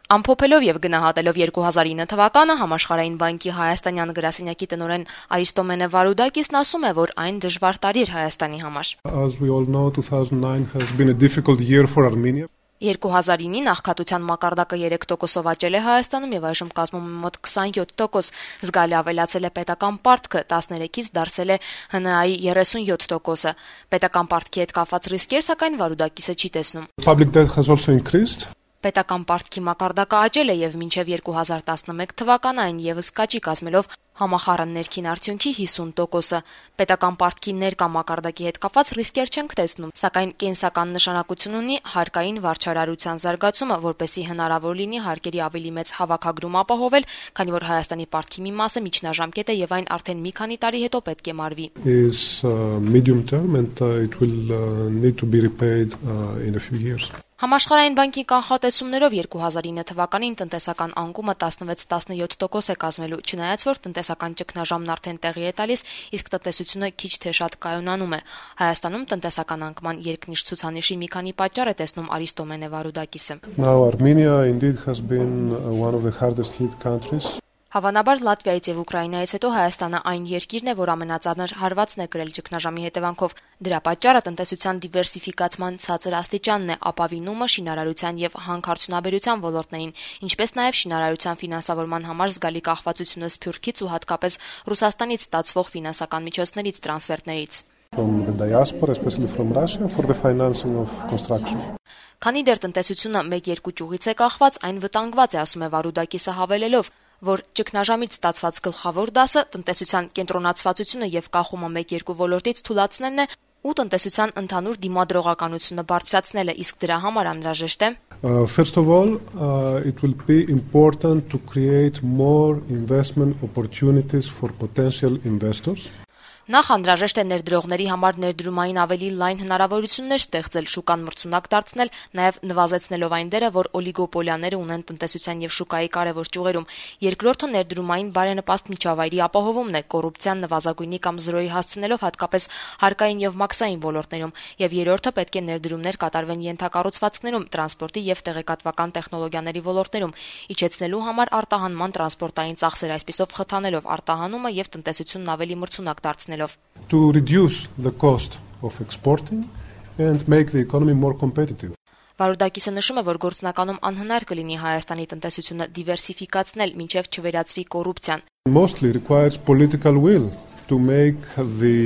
Ամփոփելով եւ գնահատելով 2009 թվականը Համաշխարհային բանկի Հայաստանյան գրասենյակի տնօրեն Արիստոմենե Վարուդակիսն ասում է, որ այն դժվար տարի էր Հայաստանի համար. As we all know, 2009 has been a difficult year for Armenia. 2009-ին աղքատության մակարդակը 3%-ով աճել է Հայաստանում եւ այժմ կազմում է մոտ 27%, զգալի ավելացել է պետական պարտքը, 13-ից դարձել է ՀՆԱ-ի 37%-ը։ Պետական պարտքի հետ կապված ռիսկեր, սակայն Վարուդակիսը չի տեսնում։ Public debt has also increased. Պետական պարտքի մակարդակը աճել է եւ մինչեւ 2011 թվականը այն եւս կաճի կազմելով համախառն ներքին արդյունքի 50%-ը։ Պետական պարտքի ներկա մակարդակի հետ կապված ռիսկեր չենք տեսնում, սակայն կենսական նշանակություն ունի հարկային վարչարարության զարգացումը, որպեսզի հնարավոր լինի հարկերի ավելի մեծ հավաքագրում ապահովել, քանի որ Հայաստանի պարտքի մի մասը միջնաժամկետ է եւ այն արդեն մի քանի տարի հետո պետք է մարվի։ Is medium term and it will need to be repaid in a few years. Համաշխարհային բանկի կանխատեսումներով 2009 թվականին տնտեսական անկումը 16-17% է կազմելու, չնայած որ տնտեսական ճգնաժամն արդեն տեղի է տալիս, իսկ տնտեսությունը քիչ թե շատ կայունանում է։ Հայաստանում տնտեսական անկման երկնիշ ցուցանիշի մի քանի պատճառ է տեսնում Արիստոմենե Վարուդակիսը։ Now Armenia indeed has been one of the hardest hit countries. Հավանաբար Լատվիայից եւ Ուկրաինայից հետո Հայաստանը այն երկիրն է, որ ամենածանր հարվածն է կրել ճգնաժամի հետևանքով։ Դրա պատճառը տնտեսության դիվերսիֆիկացման ցածր աստիճանն է, ապավինումը շինարարության եւ հանքարդյունաբերության ոլորտներին, ինչպես նաեւ շինարարության ֆինանսավորման համար զգալի կախվածությունը Սփյուռքից ու հատկապես Ռուսաստանից ստացվող ֆինանսական միջոցներից, տրանսֆերտներից։ From the diaspora, especially from Russia, for the financing of construction. Քանի դեռ տնտեսությունը 1-2 ճյուղից է կախված, այն վտանգված է, ասում է Վարուդակիսը հավելելով, որ ճգնաժամից ստացված գլխավոր դասը տնտեսության կենտրոնացվածությունը եւ կախումը 1-2 ոլորտից թույլատնելն է ու տնտեսության ընդհանուր դիմադրողականությունը բարձրացնելը, իսկ դրա համար անհրաժեշտ է First of all, it will be important to create more investment opportunities for potential investors. Նախ անհրաժեշտ է ներդրողների համար ներդրումային ավելի լայն հնարավորություններ ստեղծել, շուկան մրցունակ դարձնել, նաև նվազեցնելով այն դերը, որ օլիգոպոլիաները ունեն տնտեսության եւ շուկայի կարևոր ճյուղերում։ Երկրորդը ներդրումային բարենպաստ միջավայրի ապահովումն է, կոռուպցիան նվազագույնի կամ զրոյի հասցնելով հատկապես հարկային եւ մաքսային ոլորտներում, եւ երրորդը պետք է ներդրումներ կատարվեն ենթակառուցվածքներում, տրանսպորտի եւ տեղեկատվական տեխնոլոգիաների ոլորտներում, իջեցնելու համար արտահանման տրանսպորտային ծախսեր, այսպիսով խթանելով արտահանումը եւ տնտեսությունն ավելի մրցունակ դարձնել. To reduce the cost of exporting and make the economy more competitive. Վարուդակիսը նշում է, որ գործնականում անհնար կլինի Հայաստանի տնտեսությունը դիվերսիֆիկացնել, մինչև չվերածվի կոռուպցիան. Mostly requires political will to make the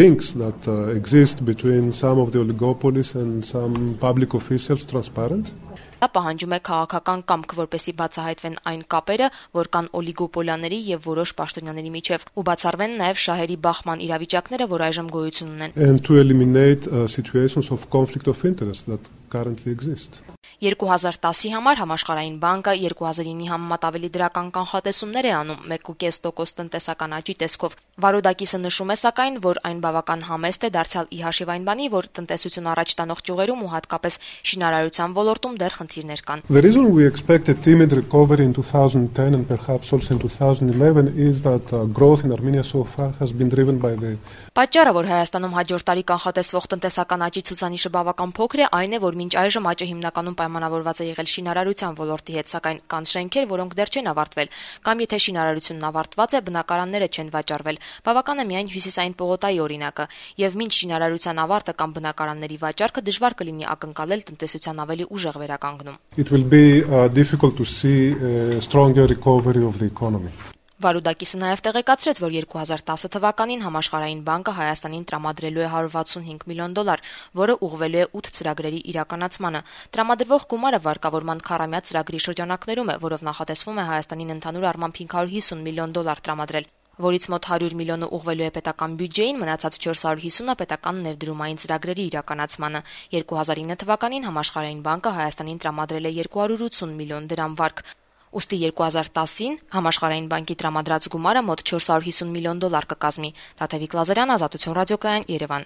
links that exist between some of the oligopolies and some public officials transparent. Դա պահանջում է քաղաքական կամք, որպեսզի բացահայտվեն այն կապերը, որ կան օլիգոպոլիաների եւ որոշ պաշտոնյաների միջև, ու բացառվեն նաեւ շահերի բախման իրավիճակները, որ այժմ գոյություն ունեն. And to eliminate situations of conflict of interest that currently exist. 2010-ի համար Համաշխարհային բանկը 2009-ի համեմատ ավելի դրական կանխատեսումներ է անում 1.5% տնտեսական աճի տեսքով։ Վարուդակիսը նշում է սակայն, որ այն բավական համեստ է դարձյալ ի հաշիվ այն բանի, որ տնտեսություն առաջ տանող ճյուղերում ու հատկապես շինարարության ոլորտում դեռ խնդիրներ կան։ The reason we expect a timid recovery in 2010 and perhaps also in 2011 is that growth in Armenia so far has been driven by the Պատճառը, որ Հայաստանում հաջորդ տարի կանխատեսվող տնտեսական աճի ցուցանիշը բավական փոքր է, այն է, որ մինչ այժմ աճը հիմնականում պայմանավորված է եղել շինարարության ոլորտի հետ, սակայն կան շենքեր, որոնք դեռ չեն ավարտվել, կամ եթե շինարարությունն ավարտված է, բնակարանները չեն վաճառվել։ Բավական է միայն հյուսիսային պողոտայի օրինակը, եւ մինչ շինարարության ավարտը կամ բնակարանների վաճառքը դժվար կլինի ակնկալել տնտեսության ավելի ուժեղ վերականգնում։ It will be difficult to see a stronger recovery of the economy. Վարուդակիսը նաև տեղեկացրեց, որ 2010 թվականին Համաշխարհային բանկը Հայաստանին տրամադրելու է $165 միլիոն, որը ուղղվելու է 8 ծրագրերի իրականացմանը։ Տրամադրվող գումարը վարկավորման քառամյա ծրագրի շրջանակներում է, որով նախատեսվում է Հայաստանին ընդհանուր առմամբ $550 միլիոն տրամադրել, որից մոտ 100 միլիոնը ուղղվելու է պետական բյուջեին, մնացած 450-ը պետական ներդրումային ծրագրերի իրականացմանը։ 2009 թվականին Համաշխարհային բանկը Հայաստանին տրամադրել է $280 միլիոն վարկ։ Ուստի 2010-ին Համաշխարհային բանկի տրամադրած գումարը մոտ $450 միլիոն կկազմի։ Տաթևիկ Լազարյան, Ազատություն ռադիոկայան, Երևան։